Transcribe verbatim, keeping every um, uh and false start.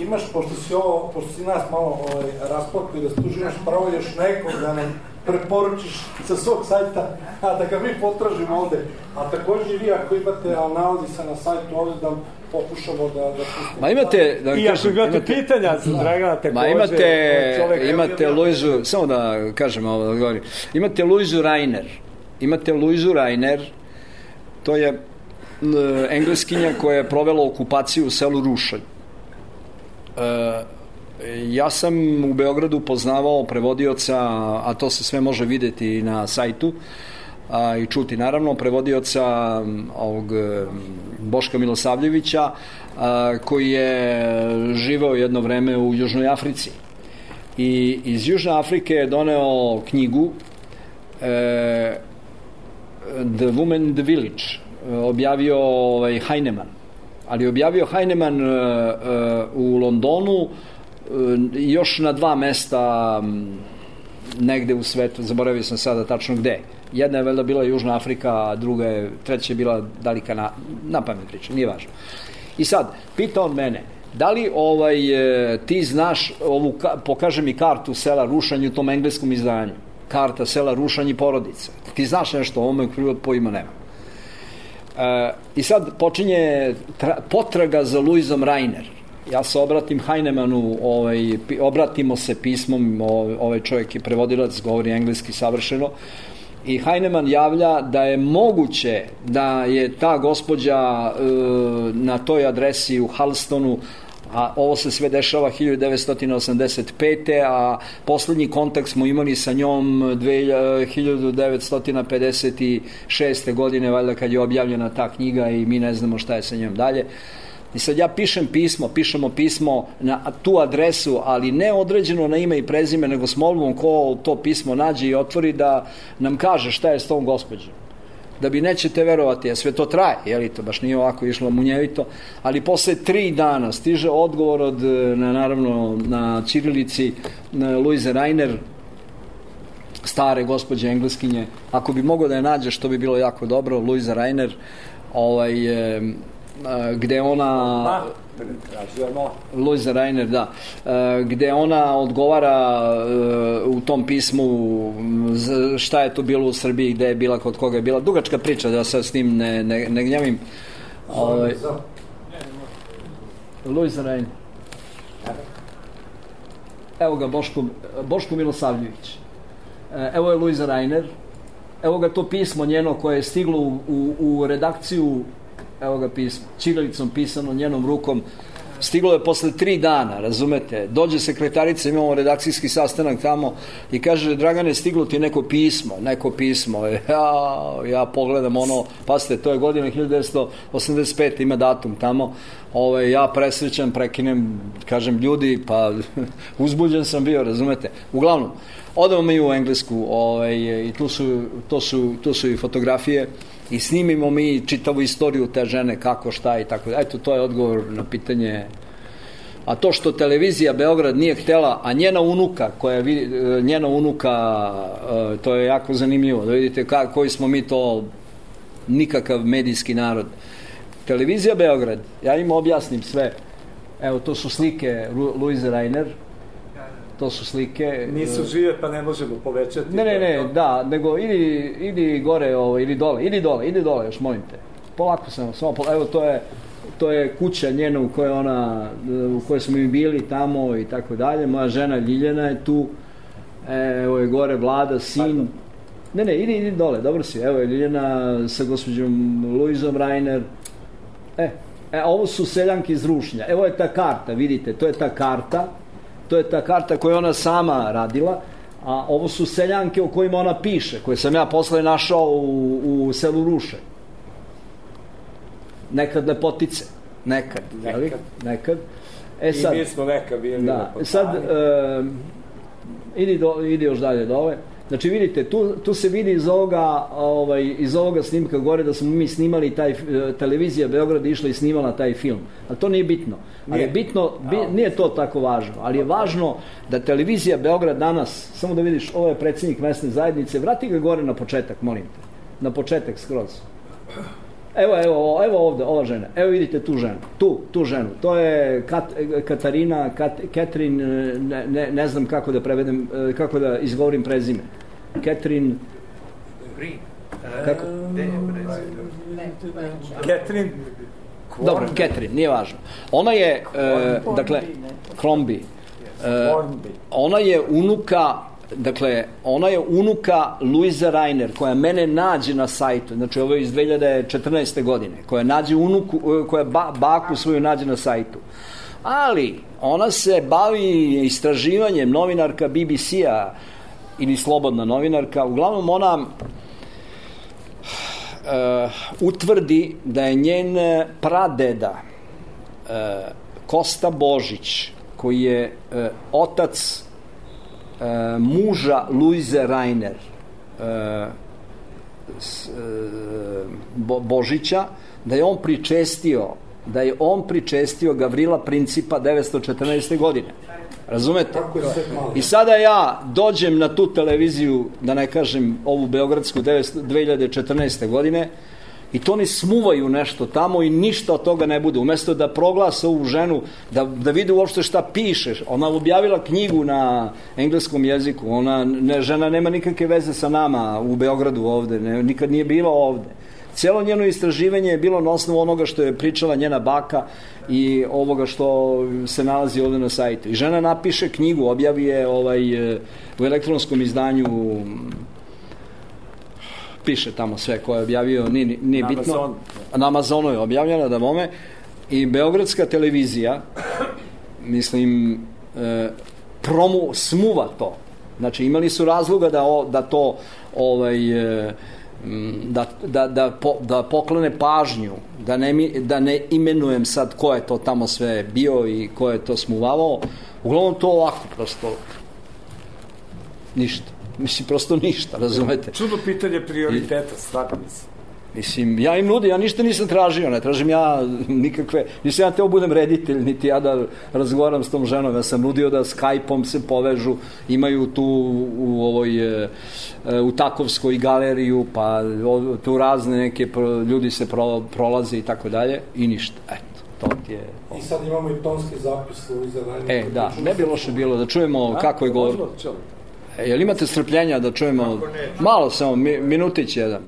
imaš, pošto si ovo, pošto si nas malo ovaj, rasplakao da stuži, imaš pravo još nekog da nam preporučiš sa svog sajta, a da ga mi potražimo ovde. A takođe vi ako imate, ali nalazi se na sajtu ovde da pokušamo da, da pustimo. Ma imate, da I ako imate, imate pitanja za Dragana takođe. Ma imate, imate Luizu, samo da kažem ovo, da govorim. Imate Luizu Rainer. Imate Luizu Rainer, to je Engleskinja koja je provela okupaciju u selu Rušanj. E, ja sam u Beogradu poznavao prevodioca, a to se sve može videti na sajtu a, i čuti naravno, prevodioca ovog Boška Milosavljevića, a, koji je živeo jedno vreme u Južnoj Africi. I iz Južne Afrike je doneo knjigu e, The Woman in the Village, objavio ovaj, Heinemann, ali objavio Heinemann uh, uh, u Londonu uh, još na dva mesta um, negde u svetu, zaboravio sam sada tačno gde. Jedna je valjda bila Južna Afrika, a druga je, treća je bila dalika na, na pamet priča, nije važno. I sad, pita on mene, da li ovaj, ti znaš ovu, pokaže mi kartu sela Rušanj u tom engleskom izdanju, karta sela Rušanj i porodica, ti znaš nešto o ovome krivo pojma nema. Uh, I sad počinje tra, potraga za Luizom Rainer. Ja se obratim Heinemannu, ovaj, obratimo se pismom, ovaj čovjek je prevodilac, govori engleski savršeno, i Heinemann javlja da je moguće da je ta gospođa uh, na toj adresi u Halstonu, a ovo se sve dešava hiljadu devetsto osamdeset pete. a poslednji kontakt smo imali sa njom hiljadu devetsto pedeset šeste. godine, valjda kad je objavljena ta knjiga i mi ne znamo šta je sa njom dalje. I sad ja pišem pismo, pišemo pismo na tu adresu, ali ne određeno na ime i prezime, nego s molbom ko to pismo nađe i otvori da nam kaže šta je s tom gospođom. Da bi nećete verovati, a sve to traje, jeli to, baš nije ovako išlo munjevito, ali posle tri dana stiže odgovor od, na, naravno, na ćirilici na Luize Rainer, stare gospođe Engleskinje, ako bi mogao da je nađe, što bi bilo jako dobro, Luiza Rainer, ovaj, e, gde ona... Luiza Rainer, da, gde ona odgovara u tom pismu šta je to bilo u Srbiji, gde je bila, kod koga je bila, dugačka priča, da sad s tim ne, ne, ne gnjavim. Ovaj, Luiza Rainer. Evo ga Boško, Boško Milosavljević. Evo je Luiza Rainer. Evo ga to pismo njeno koje je stiglo u, u, u redakciju. Evo ga pismo, ćirilicom pisano, njenom rukom. Stiglo je posle tri dana, razumete, dođe sekretarica, imamo redakcijski sastanak tamo i kaže, Dragane, stiglo ti neko pismo, neko pismo. Ja, ja pogledam ono, pasite, to je godina hiljadu devetsto osamdeset pete. ima datum tamo. Ove, ja presrećan, prekinem, kažem, ljudi, pa uzbuđen sam bio, razumete. Uglavnom, odemo mi u Englesku ove, i tu su, to su, tu su i fotografije. I snimimo mi čitavu istoriju te žene, kako, šta i tako. Eto, to je odgovor na pitanje. A to što televizija Beograd nije htela, a njena unuka, koja njena unuka, to je jako zanimljivo, da vidite ka, koji smo mi to nikakav medijski narod. Televizija Beograd, ja im objasnim sve. Evo, to su slike Luize Rainer, to su slike... Nisu žive, pa ne možemo povećati. Ne, ne, ne, da, nego idi, idi gore, ovo, ili dole, idi dole, idi dole, još molim te. Polako sam, samo polako, evo, to je, to je kuća njena u kojoj ona, u kojoj smo mi bili tamo i tako dalje. Moja žena Ljiljana je tu, evo je gore Vlada, sin. Pardon. Ne, ne, idi, idi dole, dobro si, evo je Ljiljana sa gospođom Luizom Rainer. E, e, ovo su seljanke iz Rušnja, evo je ta karta, vidite, to je ta karta. To je ta karta koju ona sama radila, a ovo su seljanke o kojima ona piše, koje sam ja posle našao u, u selu Ruše. Nekad lepotice. Nekad. Nekad. Nekad. E sad, i mi smo nekad bili da, lepotani. Sad, e, idi, do, idi još dalje dole. Znači, vidite, tu, tu se vidi iz ovoga, ovaj, iz ovoga snimka gore da smo mi snimali taj, televizija Beograd išla i snimala taj film. Ali to nije bitno. Ali je bitno, bi, nije to tako važno, ali je važno da televizija Beograd danas, samo da vidiš, ovo je predsjednik mesne zajednice, vrati ga gore na početak, molim te. Na početak skroz. evo, evo, evo ovde, ova žena, evo vidite tu ženu, tu, tu ženu, to je Kat, Katarina, Kat, Catherine, ne, ne, ne znam kako da prevedem, kako da izgovorim prezime. Catherine... Green. Kako? Catherine... Dobro, Catherine, nije važno. Ona je, e, dakle, Crombie. E, ona je unuka, dakle, ona je unuka Luise Rainer, koja mene nađe na sajtu, znači ovo je iz dve hiljade četrnaeste. godine, koja nađe unuku, koja ba, baku svoju nađe na sajtu. Ali, ona se bavi istraživanjem, novinarka B B C-a, ili slobodna novinarka, uglavnom ona Uh, utvrdi da je njen pradeda uh, Kosta Božić, koji je uh, otac uh, muža Luise Rainer uh, s, uh, Bo, Božića, da je on pričestio da je on pričestio Gavrila Principa devetsto četrnaeste. godine. Razumete? I sada ja dođem na tu televiziju, da ne kažem ovu beogradsku dve hiljade četrnaeste. godine, i to oni smuvaju nešto tamo i ništa od toga ne bude. Umesto da proglase ovu ženu, da, da vide uopšte šta piše. Ona objavila knjigu na engleskom jeziku. Ona, ne, žena nema nikakve veze sa nama u Beogradu ovde. Ne, nikad nije bila ovde. Cijelo njeno istraživanje je bilo na osnovu onoga što je pričala njena baka i ovoga što se nalazi ovde na sajtu. I žena napiše knjigu, objavi je ovaj, u elektronskom izdanju, piše tamo sve ko je objavio, nije, nije bitno. Amazon. Na Amazonu je objavljena, da mome. I beogradska televizija, mislim, e, promu, smuva to. Znači, imali su razloga da, o, da to ovaj... E, Da, da, da, po, da poklone pažnju, da ne, da ne imenujem sad ko je to tamo sve bio i ko je to smuvavao. Uglavnom to ovako, prosto ništa. Mislim, prosto ništa, razumete? Čudno pitanje prioriteta, stvarno mislim. Mislim, ja im nudim, ja ništa nisam tražio, ne tražim ja nikakve, nisam ja teo budem reditelj, niti ja da razgovaram s tom ženom, ja sam nudio da Skype-om se povežu, imaju tu u ovoj, u Takovskoj galeriju, pa tu razne neke ljudi se pro, prolaze i tako dalje, i ništa, eto, to ti je... I sad imamo i tonski zapis Luise Rainer. E, da, ne bi loše bilo da čujemo kako je govor. E, jel imate strpljenja da čujemo, malo samo, minutić jedan.